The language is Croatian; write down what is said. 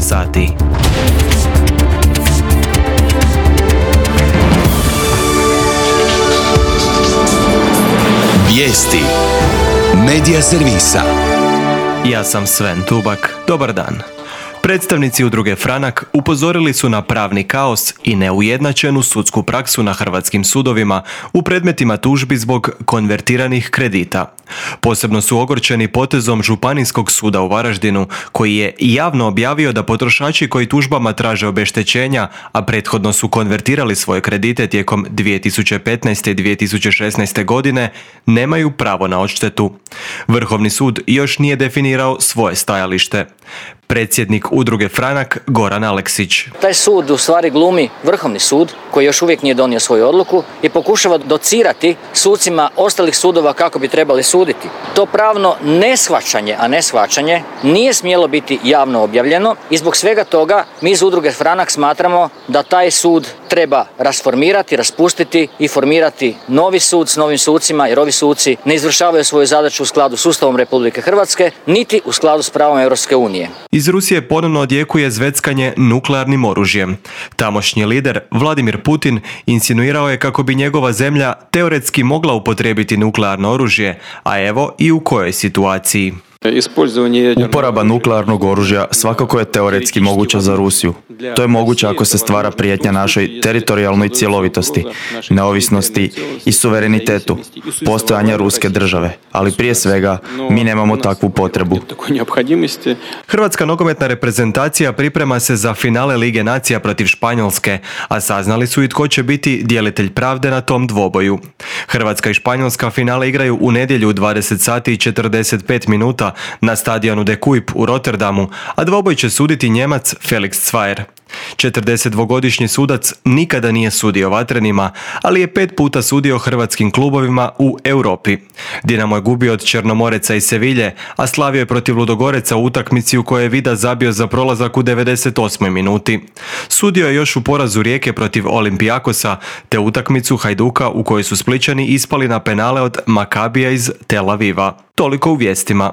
sati. Vijesti Medija servisa. Ja sam Sven Tubak. Dobar dan. Predstavnici udruge Franak upozorili su na pravni kaos i neujednačenu sudsku praksu na hrvatskim sudovima u predmetima tužbi zbog konvertiranih kredita. Posebno su ogorčeni potezom Županijskog suda u Varaždinu, koji je javno objavio da potrošači koji tužbama traže obeštećenja, a prethodno su konvertirali svoje kredite tijekom 2015. i 2016. godine, nemaju pravo na odštetu. Vrhovni sud još nije definirao svoje stajalište. Predsjednik udruge Franak Goran Aleksić. Taj sud u stvari glumi Vrhovni sud koji još uvijek nije donio svoju odluku i pokušava docirati sucima ostalih sudova kako bi trebali suditi. To pravno neshvaćanje, a ne shvaćanje, nije smjelo biti javno objavljeno i zbog svega toga mi iz udruge Franak smatramo da taj sud treba rasformirati, raspustiti i formirati novi sud s novim sucima, jer ovi suci ne izvršavaju svoju zadaću u skladu s Ustavom Republike Hrvatske, niti u skladu s pravom Europske unije. Iz Rusije ponovno odjekuje zveckanje nuklearnim oružjem. Tamošnji lider Vladimir Putin insinuirao je kako bi njegova zemlja teoretski mogla upotrijebiti nuklearno oružje, a evo i u kojoj situaciji. Uporaba nuklearnog oružja svakako je teoretski moguća za Rusiju. To je moguće ako se stvara prijetnja našoj teritorijalnoj cjelovitosti, neovisnosti i suverenitetu, postojanja ruske države. Ali prije svega, mi nemamo takvu potrebu. Hrvatska nogometna reprezentacija priprema se za finale Lige nacija protiv Španjolske, a saznali su i tko će biti djelitelj pravde na tom dvoboju. Hrvatska i Španjolska finale igraju u nedjelju u 20 sati i 45 minuta na stadionu De Kuip u Rotterdamu, a dvoboj će suditi Njemac Felix Zweier. 42-godišnji sudac nikada nije sudio Vatrenima, ali je 5 puta sudio hrvatskim klubovima u Europi. Dinamo je gubio od Črnomoreca i Sevilje, a slavio je protiv Ludogoreca u utakmici u kojoj je Vida zabio za prolazak u 98. minuti. Sudio je još u porazu Rijeke protiv Olimpijakosa, te utakmicu Hajduka u kojoj su Splićani ispali na penale od Makabija iz Tel Aviva. Toliko u vijestima.